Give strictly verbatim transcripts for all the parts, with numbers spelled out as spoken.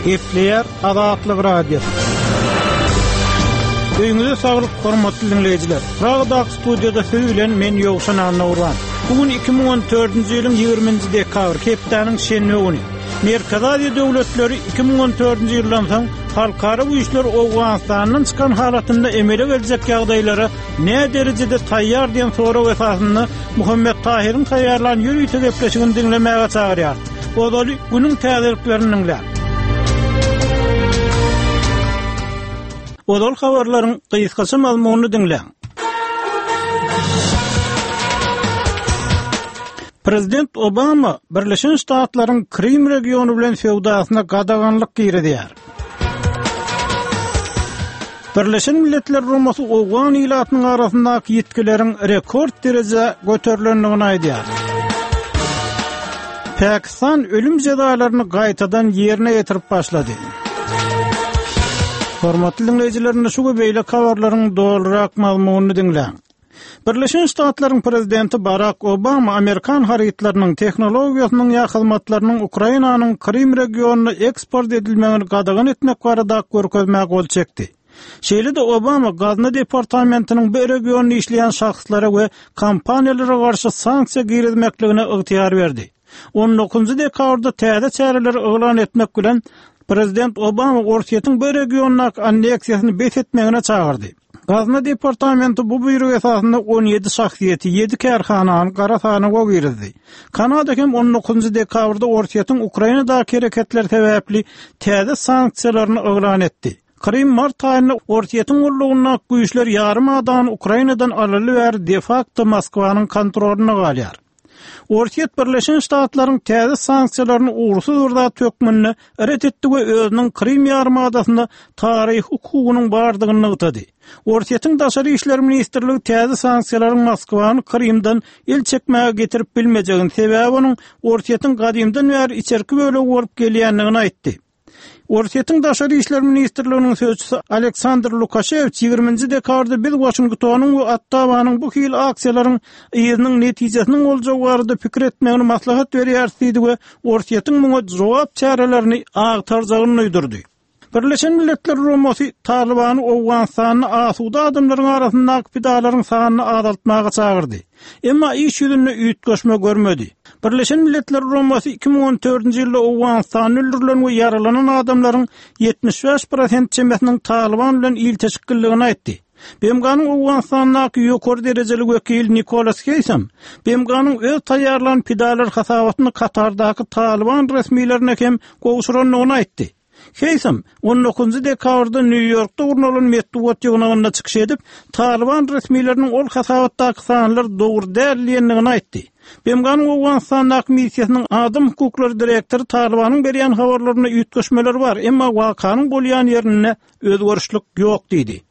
Gepleýär Azatlyk Radiosy. Öýüňize saglyk, hormatly diňleýjiler. Pragadaky studiýada siz bilen men Ýowşan Annagurban. Bu gün iki müň on dördünji ýylyň ýigriminji dekabr, hepdäniň şenbe güni. Merkezi Aziýa döwletleri iki müň on dördünji ýyldan soň halkara güýçler Owganystandan çykan halatynda emele geljek ýagdaýlara nä derejede taýýar diýen sorag esasynda Muhammet Tahyryň taýýarlan ýörite gepleşigini diňlemäge çagyrýar. Ozaly günüň täzeliklerini diňläň. Ozal habarlaryň gysgaça mazmunyny diňläň. Prezident Obama Birleşen Ştatlaryň Krym regiony bilen söwdasyna gadaganlyk girizýär. Birleşen Milletler Guramasy Owgan ilatynyň arasyndaky ýitgileriň rekord derejä göterilendigini aýdýar. Pakistan ölüm jezalaryny gaýtadan ýerine ýetirip başlady. Hormatly diňleýjiler, şu we beýleki habarlaryň dolurak mazmunyny diňläň. Birleşen Ştatlaryň prezidenti Barack Obama Amerikan harytlarynyň, tehnologiýasynyň ýa hyzmatlarynyň Ukrainanyň Krym regionyna eksport edilmegini gadagan etmek barada görkezmä gol çekdi. Şeýle-de Obama Gazna departamentiniň bu regionda işleýän şahslara we kompaniýalara garşy sanksiýa girizmekligine ygtyýar berdi. On dokuzynjy dekabrda täze çäreleri yglan etmek bilen Prezident Obama Orsýetiň bu regiondaky anneksiýasyny bes etmegine çagyrdy. Gazna departamenti bu buýruk esasynda on ýedi şahsyýeti, ýedi kärhanany gara sanawa girizdi. Kanada hem on dokuzynjy dekabrda Orsýetiň Ukrainadaky hereketleri sebäpli täze sanksiýalaryny yglan etdi. Krym mart aýynda Orsýetiň gullugyndaky güýçler ýarym adany Ukrainadan alaly bäri de facto Moskwanyň kontrolynda galýar. Orsýet Birleşen Ştatlaryň täze sanksiýalaryny ugursyz bir zat hökmünde ret etdi we özüniň Krym ýarym adasynda taryhy hukugynyň bardygyny nygtady. Orsýetiň Daşary işler ministrligi täze sanksiýalaryň Moskwany Krymdan el çekmäge getirip bilmejegini, sebäbi onuň Orsýetiň gadymdan bäri içerki bölegi bolup gelýändigini aýtdy. Orsýetiň Daşary işler ministrliginiň sözçüsi Aleksandr Lukaşewiç ýigriminji dekabrda biz Waşingtonyň we Ottawanyň bu hili aksiýalaryň yzynyň netijesiniň boljagy barada pikir etmegini maslahat berýäris diýdi we Orsýetiň muňa jogap çärelerini agtarjagyny duýdurdy. Birleşen Milletler Guramasy Talybany Owganystanda asuda adamlaryň arasyndaky pidalaryň sanyny azaltmaga çagyrdy. Emma iş ýüzünde üýtgeşme görmedi. Birleşen Milletler Guramasy iki müň on dördünji ýylda Owganystanda öldürilen we ýaralanan adamlaryň ýetmiş bäş prosent çemesiniň Talyban bilen ilteşikliligini aýtdy. B M G-nyň Owganystandaky ýokary derejeli wekili Nikolas Heýsam, B M G-nyň öz taýýarlan pidalar hasabatyny Katardaky Talyban resmilerine hem gowşurandygyny aýtdy. Heýsam, on dokuzynjy dekabrda Nýu-Ýorkda gurnalan metbugat ýygnagynda çykyş edip, Talyban resmileriniň ol hasabatdaky sanlar dogry däl diýendigini aýtdy. B M G-nyň Owganystandaky missiýasynyň adam hukuklary direktory Talybanyň berýän habarlarynda üýtgeşmeler bar, emma wakanyň bolýan ýerinde özgerişlik ýok diýdi.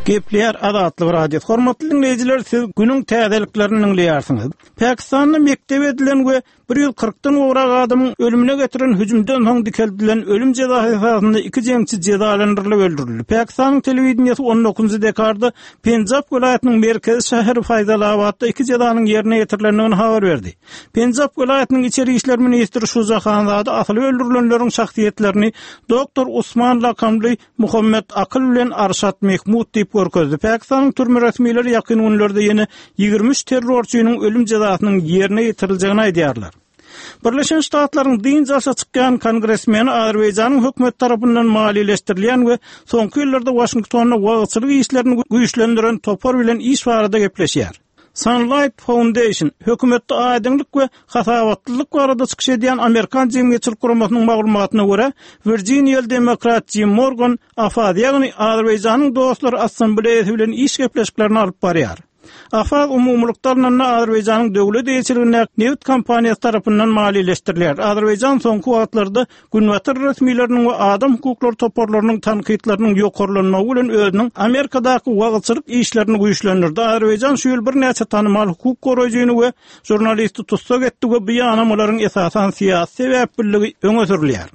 Gepleýär Azatlyk Radiosy. Hormatly diňleýjiler, siz günüň täzeliklerini diňleýärsiňiz. Pakistanda mekdep edilen we bir ýüz kyrkdan gowrak adamyň ölümine getiren hüjümden soň dikeldilen ölüm jezasy esasynda iki jeňçi jezalandyrylyp öldürildi. Pakistanyň telewideniýesi on dokuzynjy dekabrda Penjab welaýatynyň merkezi şäheri Faýzalabatda iki jezanyň ýerine ýetirilendigini habar berdi. Penjab welaýatynyň içeri işler ministri Şuja Hanzada asylyp öldürilenleriň şahsyýetlerini doktor Usman lakamly Muhammet Akyl bilen Arşat Mehmud diýip görkezdi. Pakistanyň türme resmileri ýakyn günlerde ýene ýigrimi üç terrorçynyň ölüm jezasynyň ýerine ýetiriljegini aýdýarlar. Birleşen Ştatlaryň dynç alşa çykýan kongresmeni Azerbaýjanyň hökümet tarapyndan maliýeleşdirilýän we soňky ýyllarda Waşingtonda wagyzçylyk işlerini güýçlendiren topar bilen iş barada gepleşýär. Sunlight Foundation hökümetde aýdyňlyk we hasabatlylyk barada çykyş edýän Amerikan jemgyýetçilik guramasynyň maglumatyna görä, Virginiýaly demokrat Jim Morgan AFAZ, ýagny Azerbaýjanyň dostlary assambleýasy bilen iş gepleşiklerini alyp barýar. AFAZ umumylykda alnanda Azerbaýjanyň döwlet eýeçiligindäki neft kompaniýasy tarapyndan maliýeleşdirilýär. Azerbaýjan soňky wagtlarda Günbatar resmileriniň we adam hukuklary toparlarynyň tankytlarynyň ýokarlanmagy bilen özüniň Amerikadaky wagyzçylyk işlerini güýçlendirdi. Azerbaýjan şu ýyl birnäçe tanymal hukuk goraýjyny we žurnalisti tussag etdi we bu ýanamalaryň esasan syýasy sebäpliligi öňe sürülýär.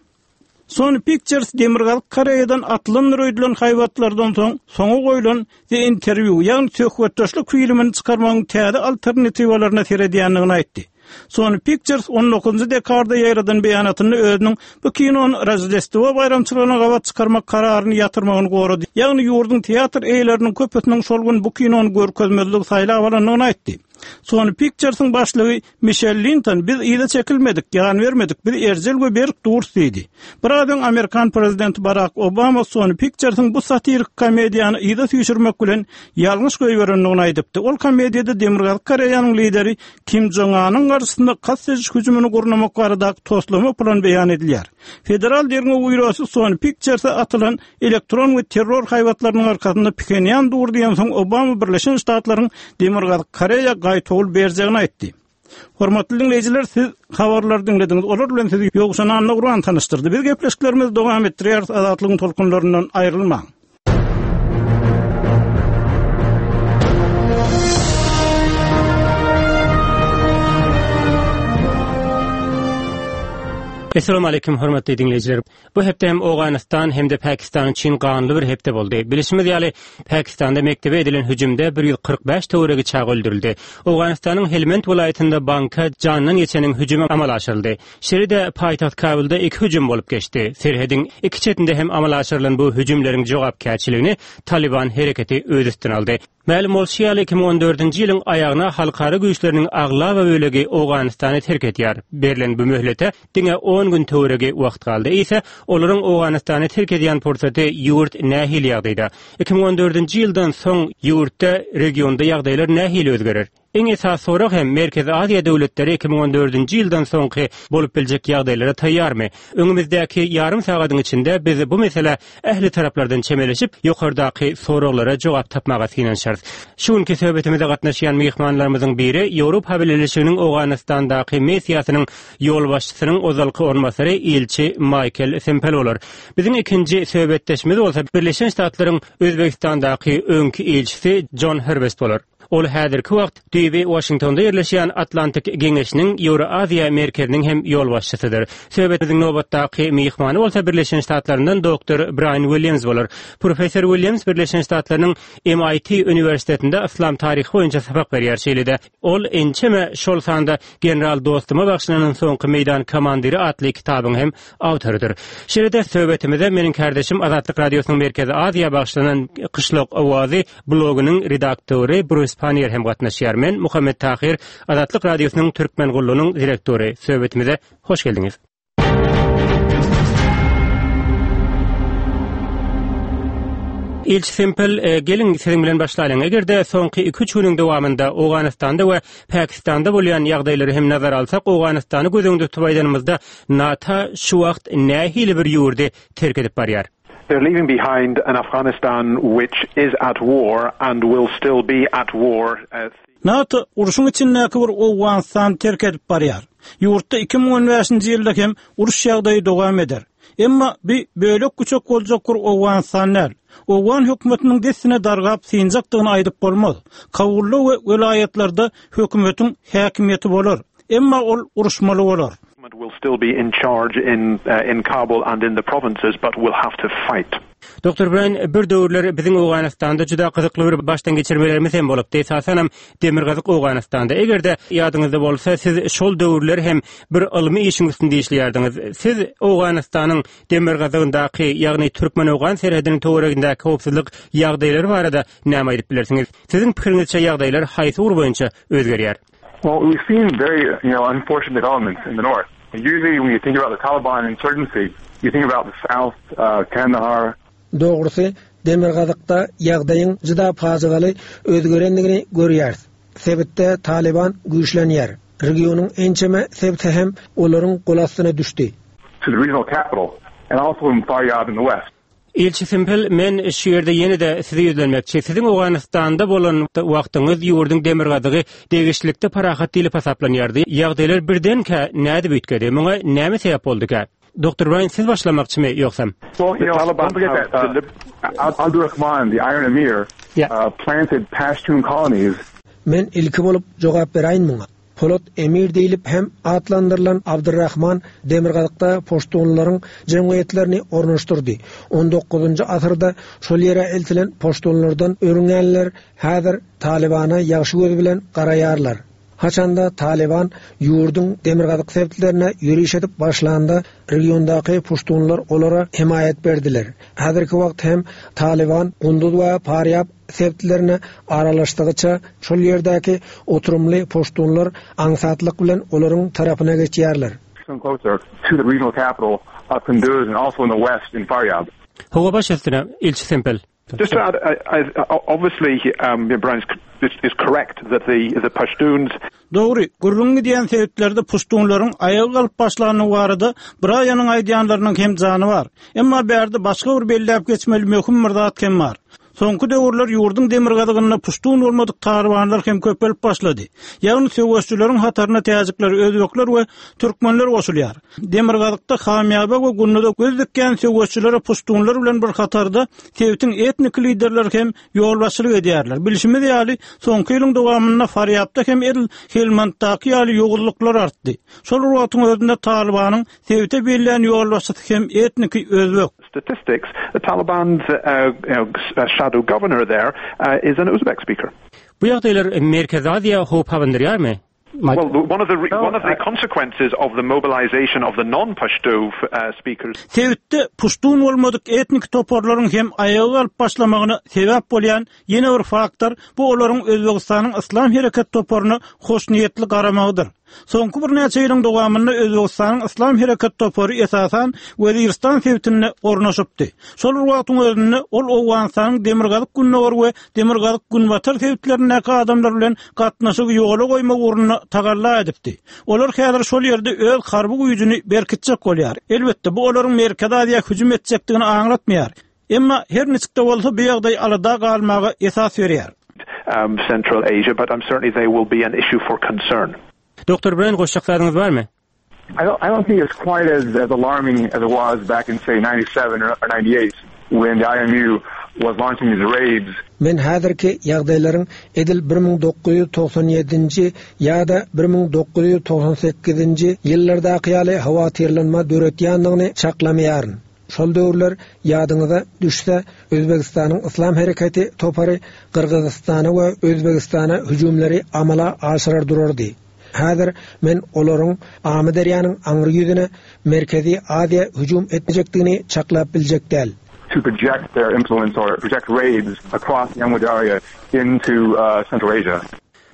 Sony Pictures Demirgazyk Koreýadan atylan öýdülen haýbatlardan soň soňa goýlan The Interview, ýagny söhbetdeşlik filmini çykarmagyň täze alternatiwalaryna seredýändigini aýtdy. Sony Pictures on dokuzynjy dekabrda ýaýradan beýanatynda özüniň bu kinony Roždestwo baýramçylygyna gabat çykarmak kararyny ýatyrmagyny gorady. Ýagny ýurduň teatr eýeleriniň köpüsiniň şol gün bu kinony görkezmezligi saýlap alandygyny aýtdy. Sony Pictures'ın başlygy Michelle Linton biz yza çekilmedik, ýan bermedik, biz erjel we berk durus diýdi. Biraz öň Amerikan prezidenti Barack Obama Sony Pictures'ın bu satirik komediýany yza süýşürmek bilen ýalňyş goýberendigini aýdypdy. Ol komediýada Demirgazyk Koreýanyň lideri Kim Jong-un'yň garşysynda kast ediş hüjümini gurnamak baradaky toslama plan beýan edilýär. Federal derňew býurosy Sony Pictures'a atylan elektron we terror haýbatlarynyň arkasynda Phenýan dur diýen soň Obama Birleşen Ştatlaryň Demirgazyk Koreýa gaýtawul berjegini aýtdy. Hormatly dinleýjiler, siz habarlary diňlediňiz. Olar bilen sizi Ýowşan Annagurban tanyşdyrdy. Biz gepleşiklerimizi dowam etdirýäris. Azatlygyň tolkunlaryndan aýrylmaň. Esselamu aleyküm hormatly dinleýjiler. Bu hepde hem Owganystan hem de Pakistan üçin ganly bir hepde boldy. Bilişimiz ýaly, Pakistanda mektebe edilen hüjümde bir ýüz kyrk bäş töweregi çaga öldürildi. Owganystanyň Helmand welaýatynda banka jandan geçeniň hüjümi amala aşyryldy. Şeýle-de paýtagt Kabulda iki hüjüm bolup geçdi. Serhediň iki çetinde hem amala aşyrylan bu hüjümleriň jogapkärçiligini Taliban hereketi öz üstüne aldy. Mälim bolşy ýaly, iki müň on dördünji ýylyň aýagyna halkara güýçleriniň aglaba bölegi Owganystany terk edýär. Berlen bu möhlete diňe on gün töweregi wagt galdy. Eýse, olaryň Owganystany terk edýän pursaty ýurt nähili ýagdaýda? Iki müň on dördünji ýyldan soň ýurtda, regionda ýagdaýlar nähili özgerer? Iň esasy sorag hem Merkezi Aziýa döwletleri iki müň on dördünji ýyldan soňky bolup biljek ýagdaýlara taýýarmy? Öňümizdäki ýarym sagadyň içinde biz bu mesele ähli taraplardan çemeleşip, ýokardaky soraglara jogap tapmaga synanyşarys. Şu günki söhbetimize gatnaşýan myhmanlarymyzyň biri Ýewropa Bileleşiginiň Owganystandaky missiýasynyň ýolbaşçysynyň ozalky orunbasary ilçi Maýkel Sempel bolar. Biziň ikinji söhbetdeşimiz bolsa Birleşen Ştatlaryň Özbegistandaky öňki ilçisi John Herbest bolar. Ol häzirki wagt düýbi Washingtonda ýerleşýän Atlantik Geňeşiniň Ýewroaziýa merkeziniň hem ýolbaşçysydyr. Söhbetimiziň nobatdaky myhmany bolsa Birleşen Ştatlaryndan doktor Brian Williams bolar. Professor Williams Birleşen Ştatlarynyň M I T uniwersitetinde yslam taryhy boýunça sapak berýär. Şeýle-de ol ençeme şol sanda General Dostuma bagşylanan soňky meýdan komandiri atly kitabyň hem awtorydyr. Şeýle-de söhbetimize meniň kardeşim Azatlyk Radiosynyň Merkezi Aziýa bagşylanan Kyşlak Owazy blogynyň redaktory Bruce Pannier hem gatnaşýar. Men Muhammet Tahir, Azatlyk Radiosynyň Türkmen gullugynyň direktory. Söhbetimize hoş geldiňiz. İlçi Sempel, e, gelin siziň bilen başlaýalyň. Eger-de soňky iki üç günüň dowamynda Owganystanda we Pakistanda bolýan ýagdaýlary hem nazar alsak, Owganystany göz öňünde tutup aýdanymyzda NATO şu wagt nähili bir ýurdy terk edip barýar? They're leaving behind an Afghanistan which is at war and will still be at war. Uh, NATO urşuň içindäki bir Owganystany terk edip barýar. Ýurtda iki müň on bäşinji ýylda hem uruş ýagdaýy dowam eder. Emma bir bölek küçük boljak bir Owganystan däl. Owgan hökümetiniň dessine dargap synjakdygyny aýdyp bolmaz. Kabulda we welaýatlarda hökümetiň häkimiýeti bolar. Emma ol uruşmaly bolar. Will still be in charge in, uh, in Kabul and in the provinces, but will have to fight. Doktor Brian, bir döwürler biziň Owganystanda juda gyzykly bir başdan geçirmelerimiz hem bolupdy. Esasan hem Demirgazyk Owganystanda. Eger-de ýadyňyzda bolsa, siz şol döwürler hem bir ylmy işiň üstünde işleýärdiňiz. Siz Owganystanyň Demirgazygyndaky, ýagny Türkmen-Owgan serhediniň töweregindäki howpsuzlyk ýagdaýlary barada näme aýdyp bilersiňiz? Siziň pikiriňizçe ýagdaýlar haýsy ugur boýunça özgerýär? Well, we've seen very, you know, unfortunate developments in the north. Usually when you think about the Taliban insurgency, you think about the south, uh, Kandahar. Dogrusy, Demirgazykda ýagdaýyň juda pajygaly özgerendigini görýäris. Sebitde Taliban güýçlenýär. Regionyň ençeme sebiti hem olaryň gol astyna düşdi. To the regional capital and also in Faryab in the west. İlçi Sempel, men şu ýerde ýene-de size ýüzlenmekçi. Siziň Owganystanda bolan wagtyňyz ýurduň demirgazygy degişlilikde parahat diýlip hasaplanýardy. Ýagdaýlar birdenkä nädip üýtgedi? Muňa näme sebäp bolduka? Doktor Brian, siz başlamakçymy ýogsam? Well, you know, don't forget that, uh, Abdurrahman, the Iron Emir, Yeah. uh, planted Pashtun colonies. Men ilki bolup jogap beräýin muňa. Polat Emir diýlip hem atlandyrylan Abdurrahman Demirgazykda Poştunlaryň jemgyýetlerini ornaşdyrdy. On dokuzynjy asyrda şol ýere eltilen Poştunlardan örüngenler häzir Talibana ýagşy göz bilen garaýarlar. Haçanda Talyban ýurduň demirgazyk sebitlerine ýöriş edip başlanda regiondaky puştunlar olara hemaýat berdiler. Häzirki wagt hem Talyban Gunduz we Farýab sebitlerine aralaşdygyça şol ýerdäki oturymly puştunlar aňsatlyk bilen olaryň tarapyna geçýärler. Closer to the regional capital of Kunduz and also in the west in Faryab. Hawa baş üstüne ilçi Sempel. Just to add, I, I, obviously, um, Brian is, is correct that the, the Pashtuns Dogry, gürrüň gidýän sebitlerde puştunlaryň aýaga galyp başlany barada Brianyň aýdýanlarynyň hem jany bar. Emma bärde başga bir belläp geçmeli möhüm bir zat hem bar. Soňky döwürler ýurduň demirgazygynda puştun bolmadyk talybanlar hem köpelip başlady. Ýagny söweşçileriň hataryna täjikler, özbekler we türkmenler goşulýar. Demirgazykda Hamýaba we Gunduda göz dikýän söweşçilere puştunlar bilen bir hatarda sebitiň etnik liderleri hem ýolbaşçylyk edýärler. Bilşimiz ýaly, soňky ýylyň dowamynda Farýabda hem edil Helmanddaky ýaly ýowuzlyklar artdy. Şol wagtyň özünde Talybanyň sebite bellän ýolbaşçysy hem etnik özbek. statistics, the Taliban's uh, you know, uh, shadow governor there uh, is an Uzbek speaker. Bu ýagdaýlar Merkezi Aziýa howp abandyrýarmy? Well, one of the re- one of the consequences of the mobilization of the non-Pashto uh, speakers Sebitde puştun bolmadyk etnik toparlaryň hem aýaga galyp başlamagyna sebäp bolýan ýene bir faktor bu olaryň Özbegistanyň Yslam hereket toparyna hoşniýetli garamagydyr. Soňky bir näçe ýylyň dowamynda Özbegistanyň Yslam hereket topary esasan Weziristan sebitinde ornaşypdy. Şol bir wagtyň özünde ol Owganystanyň Demirgazyk Gündogar we Demirgazyk Günbatar sebitlerindäki adamlar bilen gatnaşygy ýola goýmak ugrunda tagalla edipdi. Olar häzir şol ýerde öz harby güýjüni berkitjek bolýar. Elbetde bu olaryň Merkezi Aziýa hüjüm etjekdigini aňlatmaýar. Emma her niçik-de bolsa bu ýagdaý alada galmaga esas berýär. um, Central Asia, but I'm certainly they will be an issue for concern. Doktor Brian goşjak zadyňyz barmy? I don't, I don't think it's quite as, as alarming as it was back in, say, ninety-seven or, or ninety-eight when the I M U was launching these raids. Men häzirki ýagdaýlaryň edil bir müň dokuz ýüz togsan ýedinji ýa-da bir müň dokuz ýüz togsan sekizinji ýyllardaky ýaly howatyrlanma döretýändigini çaklamaýaryn. Şol döwürler ýadyňyza düşse, Özbegistanyň Yslam hereketi topary Gyrgyzystana we Özbegistana hüjümleri amala aşyrar durardy. Häzir men olaryň Amyderýanyň aňry ýüzüne Merkezi Aziýa hüjüm etjekdigini çaklap biljek däl. To project their influence or project raids across the Amudarya into uh, Central Asia.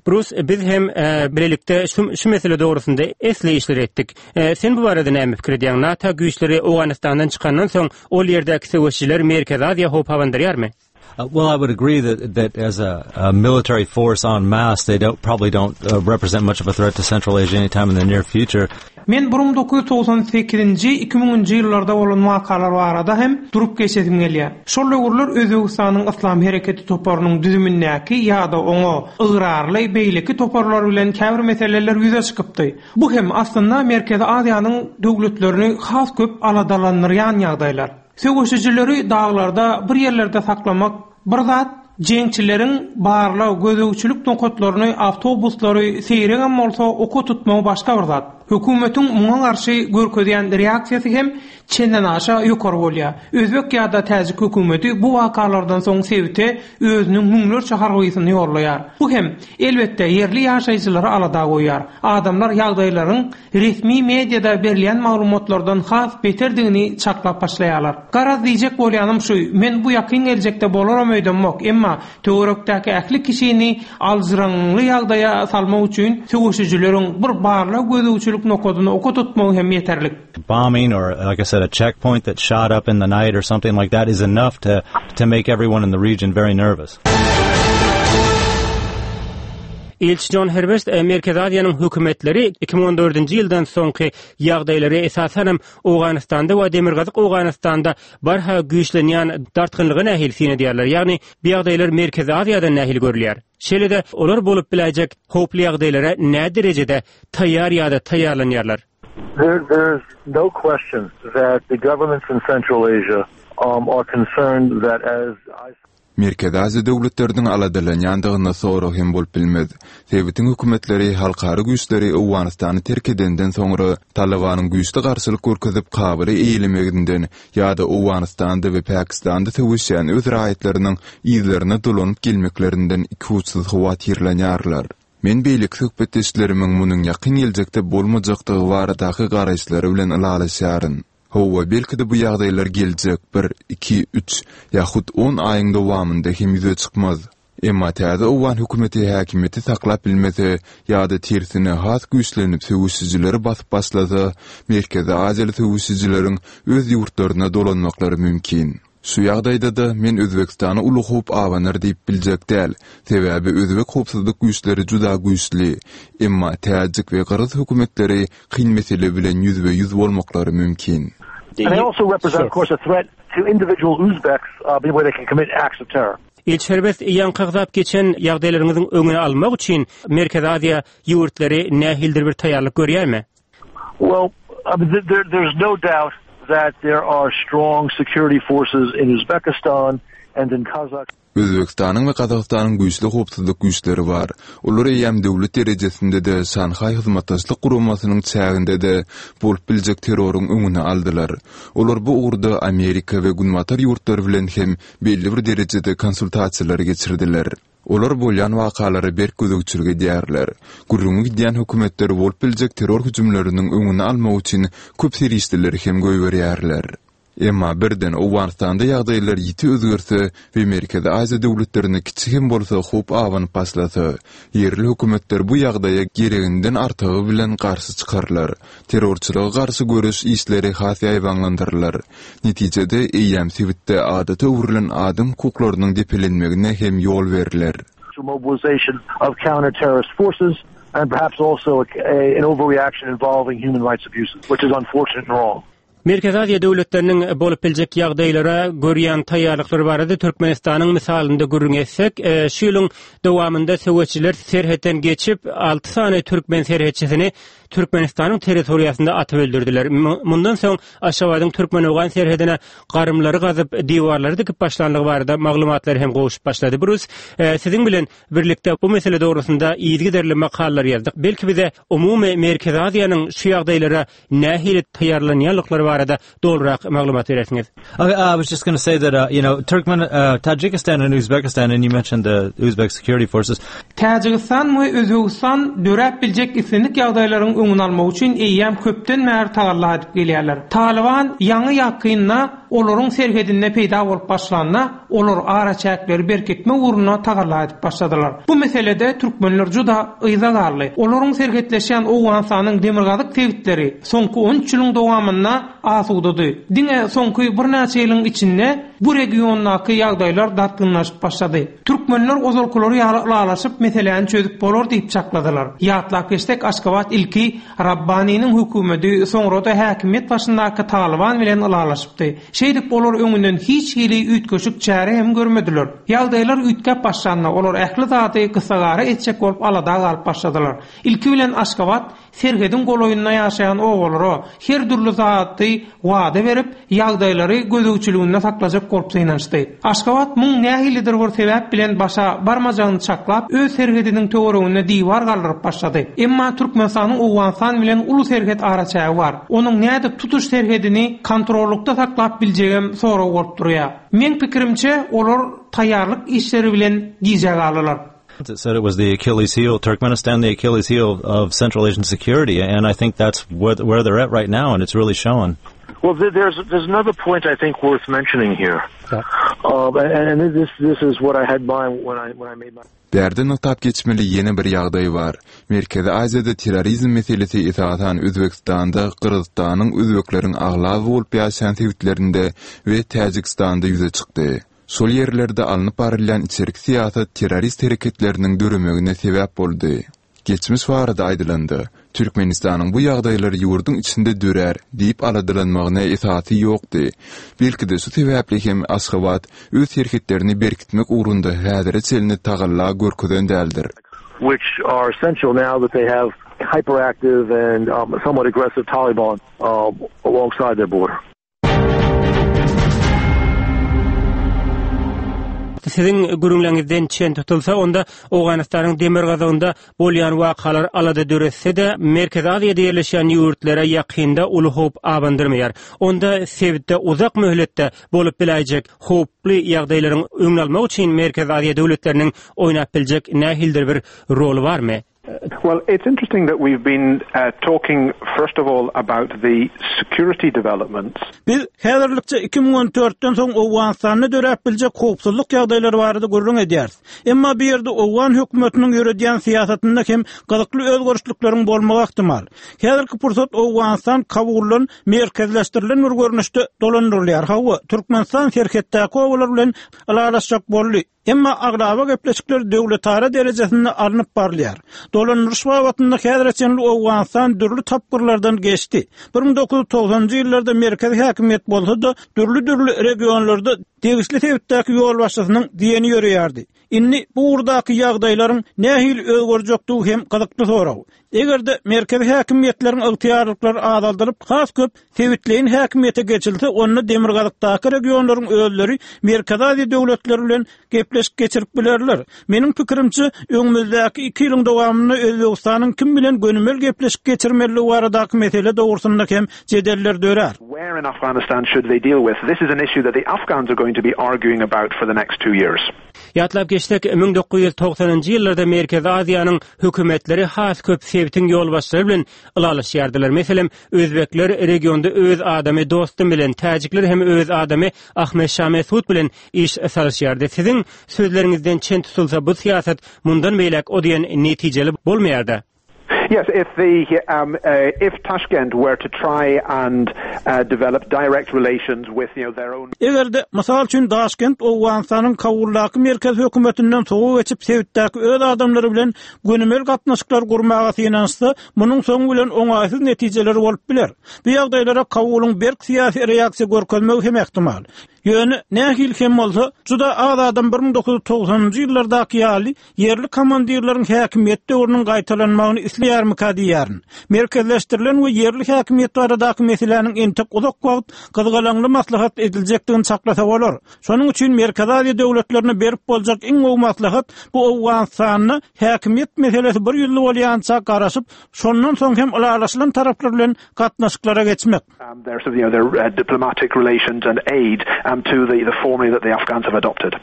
Bruce, biz hem e, bilelikde şu, şu mesele dogrusynda esli işler etdik. E, sen bu barada näme pikir edýäň? NATO güýçleri Owganystandan çykandan soň ol ýerdäki söweşçiler Merkezi Aziýa howp abandyrýarmy? Uh, well, I would agree that that as a, a military force en masse, they don't probably don't uh, represent much of a threat to Central Asia anytime in the near future. Men bir müň dokuz ýüz togsan sekizinji, iki müňünji ýyllarda bolan wakalar barada hem durup geçesim gelýär. Şol döwürler Özbegistanyň Yslam hereketi toparynyň düzümindäki ýa-da oňa ygrarly beýleki toparlar bilen käbir meseleler ýüze çykypdy. Bu hem aslynda Merkezi Aziýanyň döwletlerini has köp aladalandyrýan ýagdaýlar. Söweşijileri daglarda bir ýerlerde saklamak bir zat, jeňçileriň barlag gözegçilik nokatlaryny, awtobuslary seýregem bolsa oka tutmagy başga bir zat. Hökümetiň muňa garşy görkezýän reaksiýasy hem çenden aşa ýokary bolýar. Özbek ýa-da täjik hökümeti bu wakalardan soň sebite özüniň müňlerçe harbysyny ýollaýar. Bu hem elbetde ýerli ýaşaýjylary alada goýýar. Adamlar ýagdaýlaryň resmi mediada berilýän maglumatlardan has beterdigini çaklap başlaýarlar. Garaz diýjek bolýanym şu, men bu ýakyn geljekde bolaram öýdemok, emma töwerekdäki ähli kişini aljyraňly ýagdaýa salmak üçin söweşijileriň bir barlag gözegçilik nokadyny oka tutmagy hem ýeterlik. Bombing or, like I said, a checkpoint that shot up in the night or something like that is enough to, to make everyone in the region very nervous. Ilçi John Herbest, e, Merkezi Aziýanyň hökümetleri iki müň on dördünji ýyldan soňky ýagdaýlary esasan hem Owganystanda we Demirgazyk Owganystanda barha güýçlenýän dartgynlygy nähili syn edýärler? Ýagny bu ýagdaýlar Merkezi Aziýada nähili görülýär? Şeýle-de olar bolup biläýjek howply ýagdaýlara nä derejede taýýar ýa-da taýýarlanýarlar? There, there's no question that the governments in Central Asia, um, are concerned that as I Merkezi Aziýa döwletleriniň aladalanýandygyna sorag hem bolup bilmez. Sebitiň hökümetleri halkara güýçleri Owganystany terk edenden soňra Talybanyň güýçli garşylyk görkezip Kabuly eýelemeginden ýa-da Owganystanda we Pakistanda söweşýän öz raýatlarynyň yzlaryna dolanyp gelmeklerinden ikuçsuz howatyrlanýarlar. Men beýleki söhbetdeşlerimiň munuň ýakyn geljekde bolmajakdygy baradaky garaýyşlary bilen ylalaşýaryn. Hawa, belki-de bu ýagdaýlar geljek bir, iki, üç ýa-hut on aýyň dowamynda hem ýüze çykmaz. Emma täze owgan hökümeti häkimiýeti saklap bilmese ýa-da tersine has güýçlenip söweşijileri basyp başlasa, Merkezi Aziýaly söweşijileriň öz ýurtlaryna dolanmaklary mümkin. Şu ýagdaýda-da men Özbegistana uly howp abanar diýip biljek däl, sebäbi özbek howpsuzlyk güýçleri juda güýçli. Emma täjik we gyrgyz hökümetleri kyn mesele bilen ýüzbe-ýüz bolmaklary mümkin. And they also represent, of course, a threat to individual Uzbeks uh, where they can commit acts of terror. Ilçi Serbest ýaňky agzap geçen ýagdaýlaryňyzyň öňüni almak üçin Merkezi Aziýa ýurtlary nähilidir bir taýýarlyk görýärmi? Well, I mean, there, there's no doubt that there are strong security forces in Uzbekistan and in Kazakhstan. Özbegistanyň we Gazagystanyň güýçli howpsuzlyk güýçleri bar. Olar eýýäm döwlet derejesinde-de, Şanhaý Hyzmatdaşlyk Guramasynyň çäginde-de bolup biljek terroryň öňüni aldylar. Olar bu ugurda Amerika we Günbatar ýurtlary bilen hem belli bir derejede konsultasiýalary geçirdiler. Olar bolýan wakalara berk gözegçilik edýärler. Gürrüňi gidýän hökümetler bolup biljek terror hüjümleriniň öňüni almak üçin köp serişdeleri hem goýberýärler. Emma birden Owganystanda ýagdaýlar ýiti özgerse we Merkezi Aziýa döwletlerine kiçi hem bolsa howp abanyp başlasa, ýerli hökümetler bu ýagdaýa gereginden artygy bilen garşy çykarlar. Terrorçylyga garşy göreş işleri has ýaýbaňlandyrylar. Netijede, eýýäm sebitde adata öwrülen adam hukuklarynyň depelenmegine hem ýol berler. Mobilization of counter-terrorist forces and perhaps also a, a, an overreaction involving human rights abuses, which is unfortunate and wrong. Merkezi Aziýa döwletleriniň bolup biljek ýagdaýlara görýän taýýarlyklary barada Türkmenistanyň mysalynda gürrüň etsek, e, şu ýylyň dowamynda söweşçiler serhetden geçip, alty sany türkmen serhetçisini Türkmenistanyň territoriýasynda atyp öldürdiler. Mundan soň Aşgabadyň türkmen-owgan serhedine garymlary gazyp, diwarlary dikip başlandygy barada maglumatlar hem gowşup başlady. Brus, e, siziň bilen birlikde bu mesele dogrusynda yzygiderli makalalar ýazdyk. Belki bize umumy Merkezi Aziýanyň şu ýagdaýlara nähili taýýarlanýanlyklary barada dolurak maglumat berersiňiz. Okay, I was just going to say that uh, you know Turkmen, uh, Tajikistan and Uzbekistan, and you mentioned the Uzbek security forces. Täjigistan we Özbegistan döräp biljek islendik ýagdaýlaryň öňüni almak üçin eýýäm köpden bäri tagalla edip gelýärler. Talyban ýaňy ýakynda olaryň serhedinde peýda bolup başlanda, olar araçäkleri berkitmek ugrunda tagalla edip başladylar. Bu meselede türkmenler juda yza galdy. Olaryň serhetleşýän Owganystanyň demirgazyk sebitleri soňky on üç ýylyň dowamynda asudady. Diňe soňky birnäçe ýylyň içinde bu regiondaky ýagdaýlar dartgynlaşyp başlady. Türkmenler ozalkylary ýaly ylalaşyp meseläni çözüp bolar diýip çakladylar. Ýatlap geçsek, Aşgabat ilki Rabbaniniň hökümeti, soňra da häkimiýet başyndaky Talyban bilen ylalaşypdy. Şeýdip olar öňünden hiç hili üýtgeşik çäre hem görmediler. Ýagdaýlar üýtgäp başlanda olar ähli zady gysagara etjek bolup alada galyp başladylar. Ilki bilen Aşgabat serhediň golaýynda ýaşaýan obalara her dürli zady wada berip, ýagdaýlary gözegçiliginde saklajak bolup synanyşdy. Aşgabat muň nähilidir bir sebäp bilen başa barmajagyny çaklap, öz serhediniň töwereginde diwar galdyryp başlady. Emma Türkmenistanyň Owganystan bilen uly serhet araçägi bar. Onuň nädip tutuş serhedini kontrollukda saklap biljegem sorag bolup durýar. Meň pikirimçe, olar taýýarlyk işleri bilen gijä galdylar. It said it was the Achilles heel, Turkmenistan, the Achilles heel of Central Asian security, and I think that's where, where they're at right now, and it's really showing. Well, there's there's another point I think worth mentioning here, yeah. uh, and, and this this is what I had in mind when I when I made my. Bärde nygtap geçmeli ýene bir ýagdaý bar. Merkezi Aziýada terrorizm meselesi esasan Özbegistanda, Gyrgyzystanyň özbekleriň aglaba bolup ýaşaýan sebitlerinde we Täjigistanda ýüze çykdy. Şol ýerlerde alnyp barylýan içerki syýasat terrorist hereketleriniň döremegine sebäp boldy. Geçmiş barada aýdylanda, Türkmenistanyň bu ýagdaýlar ýurduň içinde dörär diýip aladalanmagyna esasy ýokdy. Belki-de şu sebäpli hem Aşgabat öz serhetlerini berkitmek ugrunda häzire çenli tagalla görkezen däldir. Which are essential now that they have hyperactive and um, somewhat aggressive Taliban uh, alongside their border. Siziň gürrüňleriňizden çen tutulsa, onda Owganystanyň demirgazygynda bolýan wakalar alada döretse-de, Merkezi Aziýada ýerleşýän ýurtlara ýakynda uly howp abandyrmaýar. Onda sebitde uzak möhletde bolup biläýjek howply ýagdaýlaryň öňüni almak üçin Merkezi Aziýa döwletleriniň oýnap biljek nähilidir bir roly barmy? Well, it's interesting that we've been uh, talking first of all about the security developments. Biz häzirlikçe iki müň on dörtden soň Owganystanda döräp biljek howpsuzlyk ýagdaýlary barada gürrüň edýäris. Emma bu ýerde Owgan hökümetiniň ýöredýän syýasatynda hem gyzykly özgerişlikleriň bolmagy ähtimal. Häzirki pursat Owganystan Kabuldan merkezleşdirilen bir görnüşde dolandyrylýar. Hawa, Türkmenistan serhetdäki obalar bilen ylalaşjak boldy. Emma aglaba gepleşikler döwletara derejesinde alnyp barylýar. Dolandyryş babatynda häzire çenli Owganystan dürli tapgyrlardan geçdi. bir müň dokuz ýüz togsanynjy ýyllarda merkezi häkimiýet bolsa-da, dürli-dürli regionlarda degişli sebitdäki ýolbaşçysynyň diýeni ýöreýärdi. Indi bu ugurdaky ýagdaýlaryň nähili özgerjekdigi hem gyzykly sorag. Eger-de merkezi häkimiýetleriň ygtyýarlyklary azaldylyp, has köp sebitleýin häkimiýete geçilse, onda demirgazykdaky regionlaryň özleri Merkezi Aziýa döwletleri bilen gepleşik geçirip bilerler. Meniň pikirimçe, öňümizdäki iki ýylyň dowamynda Özbegistanyň kim bilen gönümel gepleşik geçirmelidigi baradaky mesele dogrusynda hem jedeller dörär. Where in Afghanistan should they deal with? This is an issue that the Afghans are going to be arguing about for the next two years. Ýatlap geçsek, müň dokuz ýüz togsanynjy ýyllarda Merkezi Aziýanyň hökümetleri has köp sebitiň ýolbaşçylary bilen ylalaşýardylar. Meselem, özbekler regionda öz adamy Dostum bilen, täjikler hem öz adamy Ahmet Şah Mesud bilen iş salyşýardy. Siziň sözleriňizden çen tutulsa, bu syýasat mundan beýläk o diýen netijeli bolmaýardy. Yes, if the, um, uh, if Tashkent were to try and, uh, develop direct relations with, you know, their own Eger-de, mysal üçin, Daşkent Owganystanyň Kabuldaky merkezi hökümetinden sowa geçip sebitdäki öz adamlary bilen gönümel gatnaşyklar gurmaga synanyşsa, munuň soňy bilen oňaýsyz netijeleri bolup biler. Bu ýagdaýlara Kabulyň berk syýasy reaksiýa görkezmegi hem ähtimal. Ýöne nähili hem bolsa, juda az adam bir müň dokuz ýüz togsanynjy ýyllardaky ýaly ýerli komandirleriň häkimiýet döwrüniň gaýtalanmagyny isleýärmika diýýärin. Merkezleşdirilen we ýerli häkimiýet baradaky meseläniň entek uzak wagt gyzgalaňly maslahat ediljekdigini çaklasa bolar. Şonuň üçin Merkezi Aziýa döwletlerine berip boljak iň gowy maslahat bu Owganystanda häkimiýet meselesi bir ýüzli bolýança garaşyp, şondan soň hem ylalaşylan taraplar bilen gatnaşyklara geçmek. Um, their, you know, their, uh, diplomatic relations and aid, um, to the, the formula that the Afghans have adopted.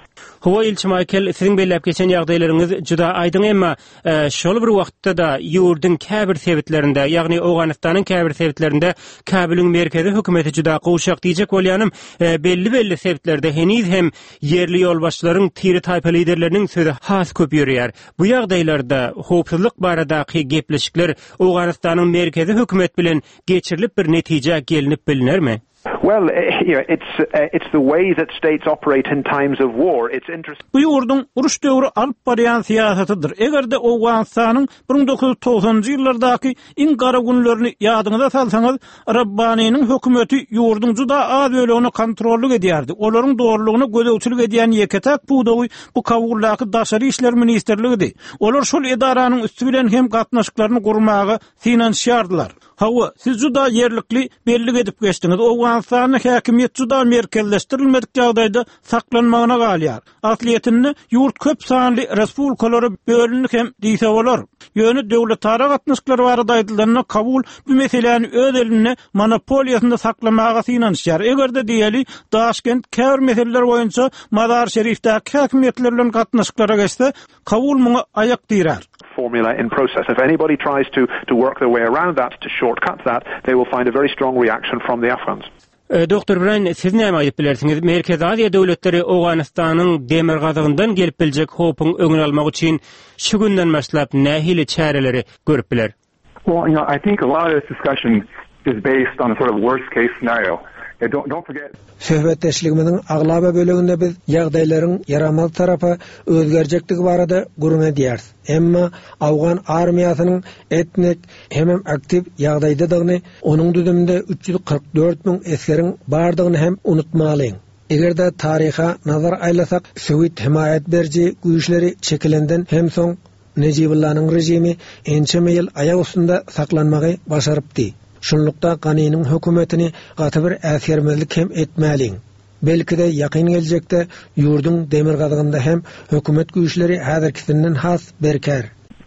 Hawa, Ilçi Maýkel, siziň belläp geçen ýagdaýlaryňyz juda aýdyň, emma, e, şol bir wagtda-da ýurduň käbir sebitlerinde, ýagny Owganystanyň käbir sebitlerinde Kabulyň merkezi hökümeti juda gowşak diýjek bolýanym, e, belli-belli sebitlerde heniz hem ýerli ýolbaşçylaryň tiri taýpa liderleriniň sözi has köp ýörýär. Bu ýagdaýlarda howpsuzlyk baradaky gepleşikler Owganystanyň merkezi hökümet bilen geçirilip bir netije gelinip bilinermi? Well, eh, you know, it's, eh, it's the way that states operate in times of war. It's interesting. Bu ýurduň uruş döwri alyp barýan syýasatydyr. Eger-de Owganystanyň bir müň dokuz ýüz togsanynjy ýyllardaky iň gara günlerini ýadyňyza salsaňyz, Rabbanynyň hökümeti ýurduň juda az bölegini kontrollyk edýärdi. Olaryň dogrulygyna gözegçilik edýän ýeke-täk pudagy bu Kabuldaky Daşary işler ministrligidi. Olar şol edaranyň üsti bilen hem gatnaşyklaryny gurmaga synanyşýardylar. Hawa, siz juda ýerlikli bellik edip geçdiňiz. Owganystanda häkimiýet juda merkezleşdirilmedik ýagdaýda saklanmagyna galýar. Aslyýetinde ýurt köp sanly respublikalara bölündi hem diýse bolar. Ýöne döwletara gatnaşyklar barada aýdylanda Kabul bu meseläni öz elinde monopoliýasynda saklamaga synanyşýar. Eger-de diýeli Daşkent käbir meseleler boýunça Mazar Şerifdäki häkimiýetler bilen gatnaşyklara geçse, Kabul muňa aýak direr. Formula in process. If anybody tries to, to work their way around that, to shortcut that, they will find a very strong reaction from the Afghans. E, Doktor Brian, siz näme aýdyp bilersiňiz? Merkezi Aziýa döwletleri Owganystanyň demirgazygyndan gelip biljek howpuň öňüni almak üçin şu günden başlap nähili çäreleri görüp biler? Well, you know, I think a lot of this discussion is based on a sort of worst case scenario. Yeah, don't, don't forget. Söhbetdeşligimiziň aglaba böleginde biz ýagdaýlaryň ýaramaz tarapa özgerjekdigi barada gürrüň edýäris. Emma Awgan armiýasynyň etnik hemem aktiw ýagdaýdadygyny, onuň düzüminde üç ýüz kyrk dört müň esgeriň bardygyny hem unutmalyň. Eger-de taryha nazar aýlasak, Sowet hemaýat beriji güýçleri çekilenden hem soň Nejibullanyň rejimi ençeme ýyl aýak üstünde saklanmagy başarypdy. Şunlukda Ganiniň hökümetini gaty bir äsgermezlik hem etmäliň. Belki-de ýakyn geljekde ýurduň demirgazygynda hem hökümet güýçleri häzirkisinden has berkär.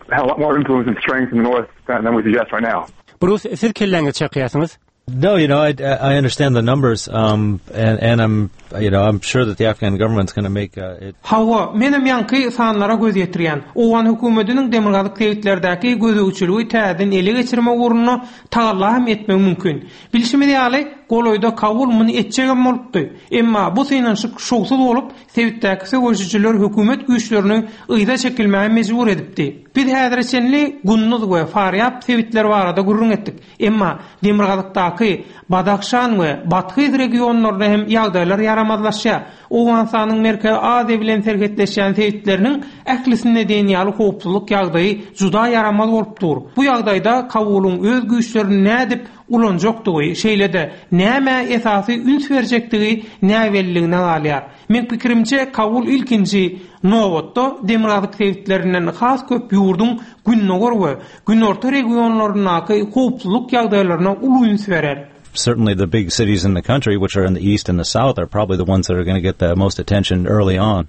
Have a lot more influence and strength in the north than, than we suggest right now. Bruce, siz kelläňizi çakýarsyňyz? No, you know, I, I understand the numbers, um, and, and I'm, you know, I'm sure that the Afghan government's going to make uh, it. Hawa, menem ýaňky sanlara göz ýetirýän. Owgan hökümetiniň demirgazyk sebitlerdäki gözegçiligi täzeden ele geçirmek ugrunda tagalla hem etmegi mümkin. Bilşimiz ýaly, golaýda Kabul muny etjegem bolupdy. Emma bu synanyşyk şowsuz bolup, sebitdäki söweşijiler hökümet güýçlerini yza çekilmäge mejbur edipdi. Biz häzire çenli Gunduz we Farýab sebitleri barada gürrüň etdik. Emma demirgazykdaky Badahşan we Bathyz regionlarynda hem ýagdaýlar ýaramazlaşýar. Owganystanyň Merkezi Aziýa bilen serhetleşýän sebitleriniň ählisinde diýen ýaly howpsuzlyk ýagdaýy juda ýaramaz bolup dur. Bu ýagdaýda Kabulyň öz güýçlerini nädip ulanjakdygy, şeýle-de nämä esasy üns berjekdigi näbelliligine galýar. Men pikirimçe Kabul ilkinji nobatda demirgazyk sebitlerinden has köp ýurduň gündogar we günorta regionlaryndaky howpsuzlyk ýagdaýlaryna uly üns berer. Certainly the big cities in the country, which are in the east and the south, are probably the ones that are going to get the most attention early on.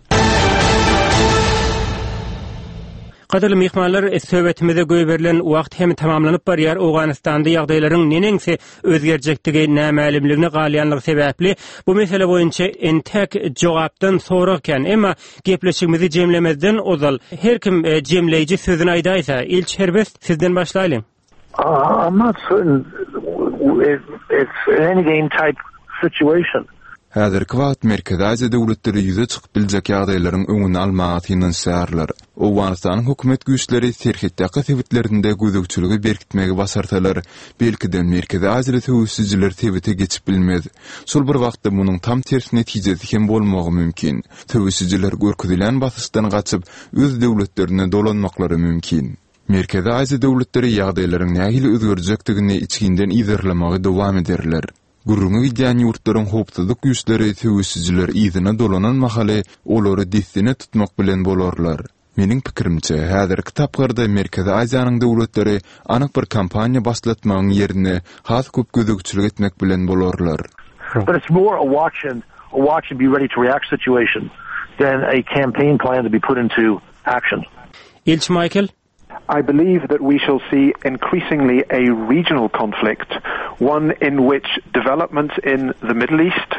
Gadyrly myhmanlar, söhbetimize goýberilen wagt hem tamamlanyp barýar. Owganystanda ýagdaýlaryň neneňsi özgerjekdigi nämälimligine galýanlygy sebäpli bu mesele boýunça entek jogapdan sorag kän. Emma gepleşigimizi jemlemezden ozal her kim e, jemleýji sözüni aýdaýsa, Ilçi Herbest sizden başlaýlyň. Uh, I'm not certain it, it's an endgame type situation. Häzirki wagt Merkezi Aziýa döwletleri ýüze çykyp biljek ýagdaýlaryň öňüni almaga synanyşýarlar. Owganystanyň hökümet güýçleri serhetdäki sebitlerinde gözegçiligi berkitmegi başarsalar, belki-de Merkezi Aziýaly söweşijiler sebite geçip bilmez. Şol bir wagtda munuň tam ters netijesi hem bolmagy mümkin. Söweşijiler görkezilen basyşdan gaçyp, öz döwletlerine dolanmaklary mümkin. Merkezi Aziýa döwletleri ýagdaýlaryň nähili özgerjekdigini içginden yzarlamagy dowam ederler. Gürrüňi gidýän ýurtlaryň howpsuzlyk güýçleri söweşijiler yzyna dolanan mahaly olary dessine tutmak bilen bolarlar. Meniň pikirimçe, häzirki tapgyrda Merkezi Aziýanyň döwletleri anyk bir kampaniýa başlatmagyň ýerine has köp gözegçilik etmek bilen bolarlar. But it's more a watch and a watch and be ready to react situation than a campaign plan to be put into action. Ilçi Michael I believe that we shall see increasingly a regional conflict, one in which developments in the Middle East,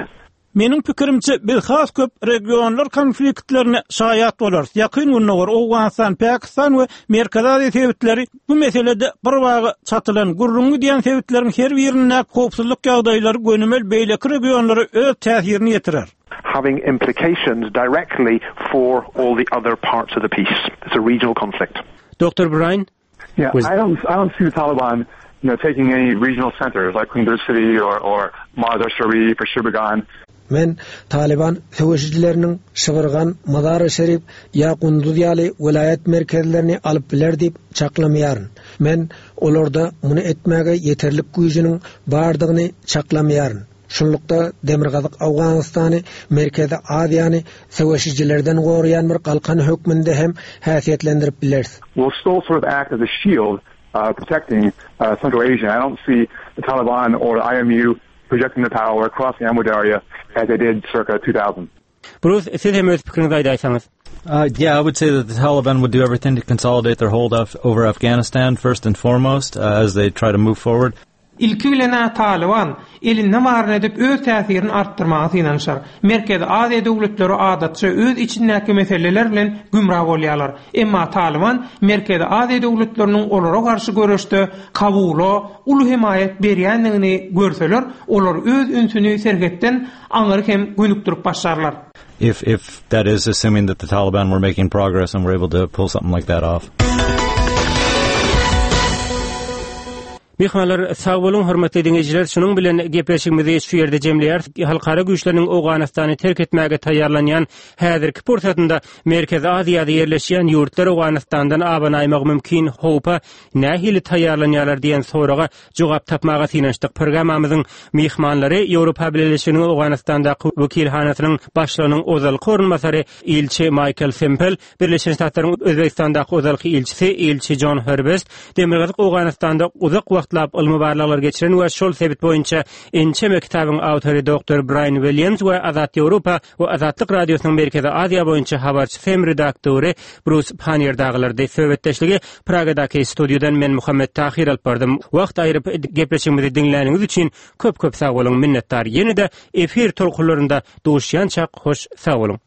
Meniň pikirimçe biz has köp regionlar konfliktlerine şaýat bolarys. Ýakyn Gündogar, Owganystan, Pakistan we Merkezi Aziýa sebitleri bu meselede bir baga çatylan gürrüňi diýen sebitleriň her birinde howpsuzlyk ýagdaýlary gönümel beýleki regionlara öz täsirini ýetirer. having implications directly for all the other parts of the piece. It's a regional conflict. Dr. Brian Yeah, Was- I don't, I don't see the Taliban, you know, taking any regional centers like Kunduz City or, or Mazar Sharif or Sheberghan. Men Taliban söweşijileriniň Şibirgan, Mazar-y Şerif ýa Gunduz ýaly welaýat merkezlerini alyp biler diýip çaklamaýaryn. Men olarda muny etmäge ýeterlik güýjüniň bardygyny çaklamaýaryn. Şunlukda Demirgazyk Owganystany Merkezi Aziýany söweşijilerden goraýan bir galkan hökmünde hem häsiýetlendirip bileris. Will still sort of act as a shield uh, protecting uh, Central Asia. I don't see the Taliban or the IMU projecting their power across the Amu Darya as they did circa two thousand. Bruce, siz hem öz pikiriňizi aýdaýsaňyz. Uh, yeah, I would say that the Taliban would do everything to consolidate their hold of, over Afghanistan first and foremost uh, as they try to move forward. Ilki bilen Taliban elinde baryny edip öz täsirini artdyrmaga synanyşar. Merkezi Aziýa döwletleri adatça öz içindäki meseleler bilen gümra bolýarlar. Emma Taliban Merkezi Aziýa döwletleriniň olara garşy göreşde Kabula uly hemaýat berýändigini görseler, olar öz ünsüni serhetden aňry hem gönükdirip başlarlar. If if that is assuming that the Taliban were making progress and were able to pull something like that off. Myhmanlar sag boluň hormatly diňleýjiler, şunuň bilen gepleşigimizi şu ýerde jemleýäris. Halkara güýçleriniň Owganystany terk etmäge taýýarlanýan häzirki pursatynda Merkezi Aziýada ýerleşýän ýurtlar Owganystandan abanaýmagy mümkin howpa nähili taýýarlanýarlar diýen soraga jogap tapmaga synanyşdyk. Programmamyzyň myhmanlary Ýewropa Bileleşiginiň Owganystandaky wekilhanasynyň başlygynyň ozalky orunbasary ilçi Michael Sempel, Birleşen Ştatlaryň Özbegistandaky ozalky ilçisi ilçi John Herbest, Demirgazyk Owganystanda uzak wagt wagtlap ylmy barlaglar geçiren we şol sebit boýunça ençeme kitabyň awtory doktor Brian Williams we Azat Ýewropa we Azatlyk Radiosynyň Merkezi Aziýa boýunça habarçysy hem redaktory Brus Pannier dagylardy. Söhbetdeşligi Pragadaky studiýadan men Muhammet Tahir alyp bardym. Wagt aýryp gepleşigimizi diňläniňiz üçin köp-köp sag boluň, minnetdar. Ýene-de efir tolkunlarynda duşýançak hoş sag boluň.